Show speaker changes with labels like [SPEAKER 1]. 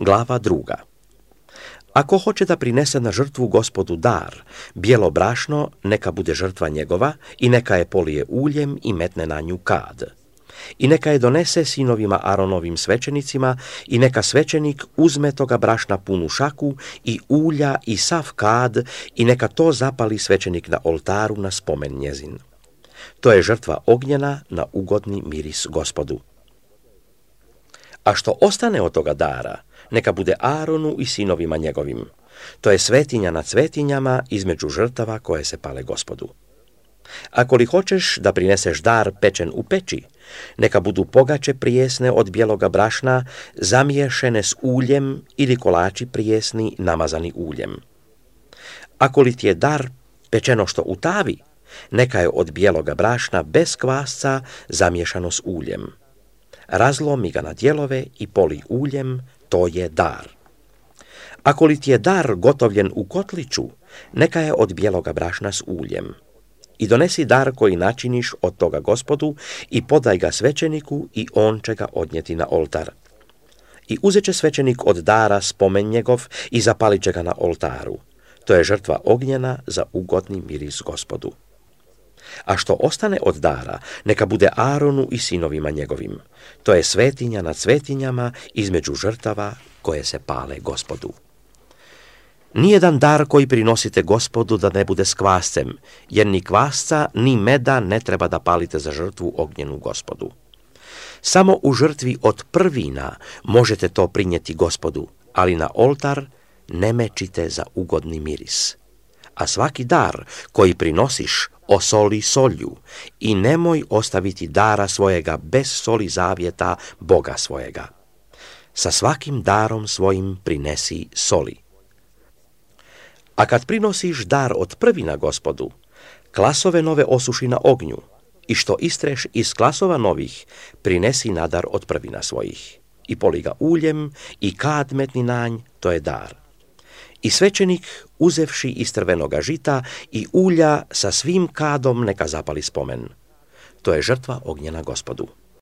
[SPEAKER 1] Glava 2. Ako hoće da prinese na žrtvu Gospodu dar, bijelo brašno, neka bude žrtva njegova i neka je polije uljem i metne na nju kad. I neka je donese sinovima Aronovim svećenicima i neka svećenik uzme toga brašna punu šaku i ulja i sav kad i neka to zapali svećenik na oltaru na spomen njezin. To je žrtva ognjena na ugodni miris Gospodu. A što ostane od toga dara, neka bude Aronu i sinovima njegovim. To je svetinja nad svetinjama između žrtava koje se pale Gospodu. Ako li hoćeš da prineseš dar pečen u peći, neka budu pogače prijesne od bijeloga brašna, zamiješene s uljem ili kolači prijesni namazani uljem. Ako li ti je dar pečeno što u tavi, neka je od bijeloga brašna bez kvasca zamiješano s uljem. Razlomi ga na dijelove i poli uljem, to je dar. Ako li ti je dar gotovljen u kotliću, neka je od bijeloga brašna s uljem. I donesi dar koji načiniš od toga Gospodu i podaj ga svećeniku i on će ga odnijeti na oltar. I uzet će svećenik od dara spomen njegov i zapalit će ga na oltaru. To je žrtva ognjena za ugodni miris Gospodu. A što ostane od dara, neka bude Aronu i sinovima njegovim. To je svetinja nad svetinjama između žrtava koje se pale Gospodu. Nijedan dar koji prinosite Gospodu da ne bude s kvascem, jer ni kvasca ni meda ne treba da palite za žrtvu ognjenu Gospodu. Samo u žrtvi od prvina možete to prinijeti Gospodu, ali na oltar ne mečite za ugodni miris. A svaki dar koji prinosiš osoli solju i nemoj ostaviti dara svojega bez soli zavjeta Boga svojega. Sa svakim darom svojim prinesi soli. A kad prinosiš dar od prvina Gospodu, klasove nove osuši na ognju i što istreš iz klasova novih, prinesi na dar od prvina svojih. I poli ga uljem i kad metni na nj, to je dar. I svećenik, uzevši iz crvenoga žita i ulja sa svim kadom neka zapali spomen. To je žrtva ognjena Gospodu.